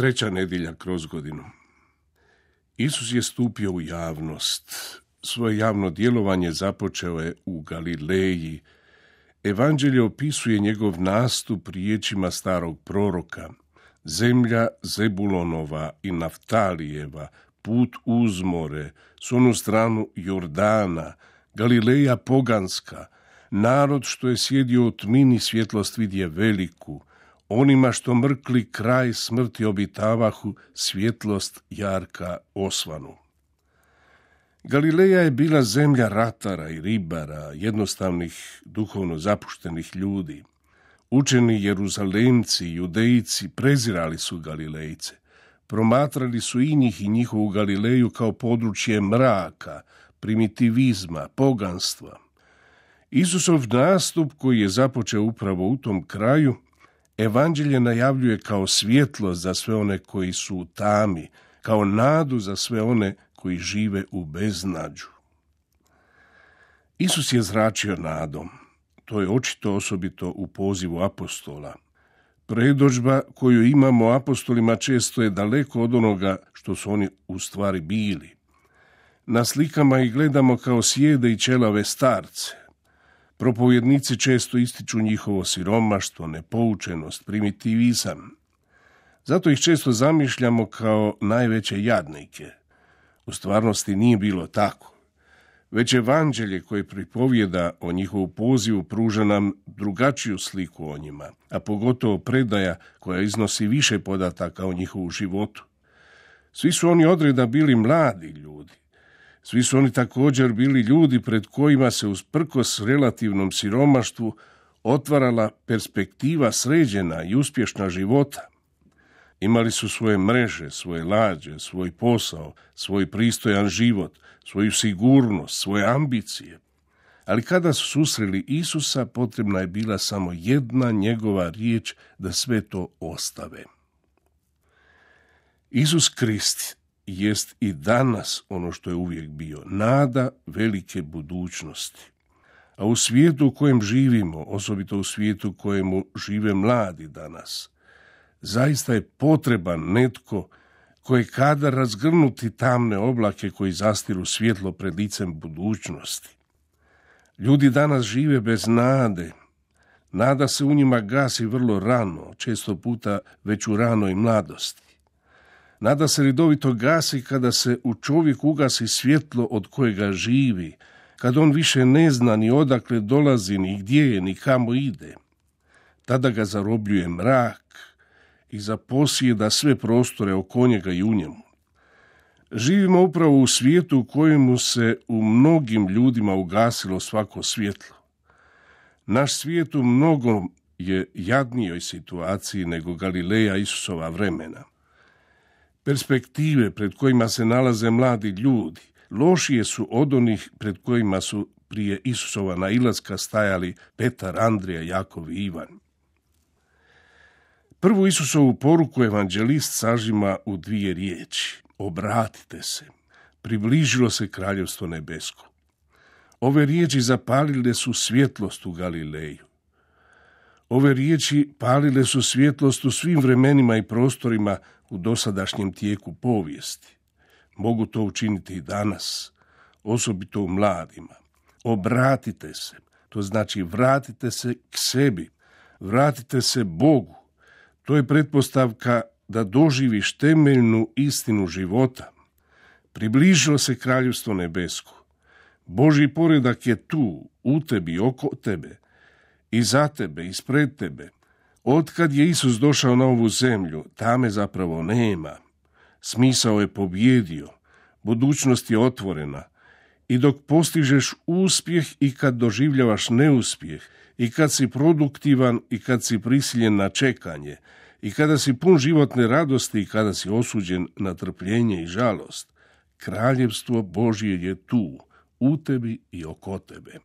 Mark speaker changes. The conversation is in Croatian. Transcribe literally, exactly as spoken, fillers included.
Speaker 1: Treća nedjelja kroz godinu. Isus je stupio u javnost. Svoje javno djelovanje započeo je u Galileji. Evanđelje opisuje njegov nastup riječima starog proroka. Zemlja Zebulonova i Naftalijeva, put uz more, s onu stranu Jordana, Galileja poganska, narod što je sjedio u tmini svjetlost vidje veliku, onima što mrkli kraj smrti obitavahu, svjetlost jarka osvanu. Galileja je bila zemlja ratara i ribara, jednostavnih, duhovno zapuštenih ljudi. Učeni Jeruzalemci i Judejci prezirali su Galilejce. Promatrali su i njih i njihovu Galileju kao područje mraka, primitivizma, poganstva. Isusov nastup, koji je započeo upravo u tom kraju, Evanđelje najavljuje kao svjetlost za sve one koji su u tami, kao nadu za sve one koji žive u beznađu. Isus je zračio nadom. To je očito osobito u pozivu apostola. Predodžba koju imamo apostolima često je daleko od onoga što su oni u stvari bili. Na slikama ih gledamo kao sjede i ćelave starce. Propovjednici često ističu njihovo siromaštvo, nepoučenost, primitivizam. Zato ih često zamišljamo kao najveće jadnike. U stvarnosti nije bilo tako. Već Evanđelje koje pripovijeda o njihovu pozivu pruža nam drugačiju sliku o njima, a pogotovo predaja koja iznosi više podataka o njihovu životu. Svi su oni odreda bili mladi ljudi. Svi su oni također bili ljudi pred kojima se usprkos relativnom siromaštvu otvarala perspektiva sređena i uspješna života. Imali su svoje mreže, svoje lađe, svoj posao, svoj pristojan život, svoju sigurnost, svoje ambicije. Ali kada su susreli Isusa, potrebna je bila samo jedna njegova riječ da sve to ostave. Isus Krist jest i danas ono što je uvijek bio, nada velike budućnosti. A u svijetu u kojem živimo, osobito u svijetu u kojemu žive mladi danas, zaista je potreban netko koji kada razgrnuti tamne oblake koji zastiru svjetlo pred licem budućnosti. Ljudi danas žive bez nade. Nada se u njima gasi vrlo rano, često puta već u ranoj mladosti. Nada se redovito gasi kada se u čovjeku ugasi svjetlo od kojega živi, kad on više ne zna ni odakle dolazi, ni gdje je, ni kamo ide. Tada ga zarobljuje mrak i zaposjeda sve prostore oko njega i u njemu. Živimo upravo u svijetu u kojemu se u mnogim ljudima ugasilo svako svjetlo. Naš svijet u mnogom je jadnijoj situaciji nego Galileja Isusova vremena. Perspektive pred kojima se nalaze mladi ljudi lošije su od onih pred kojima su prije Isusova nailaska stajali Petar, Andrija, Jakov i Ivan. Prvu Isusovu poruku evanđelist sažima u dvije riječi. Obratite se, približilo se kraljevstvo nebesko. Ove riječi zapalile su svjetlost u Galileju. Ove riječi palile su svjetlost u svim vremenima i prostorima u dosadašnjem tijeku povijesti. Mogu to učiniti i danas, osobito u mladima. Obratite se, to znači vratite se k sebi, vratite se Bogu. To je pretpostavka da doživiš temeljnu istinu života. Približilo se kraljevstvo nebesko. Božji poredak je tu, u tebi, oko tebe, i za tebe, ispred tebe. Otkad je Isus došao na ovu zemlju, tame zapravo nema. Smisao je pobjedio, budućnost je otvorena. I dok postižeš uspjeh i kad doživljavaš neuspjeh, i kad si produktivan i kad si prisiljen na čekanje, i kada si pun životne radosti i kada si osuđen na trpljenje i žalost, kraljevstvo Božje je tu, u tebi i oko tebe.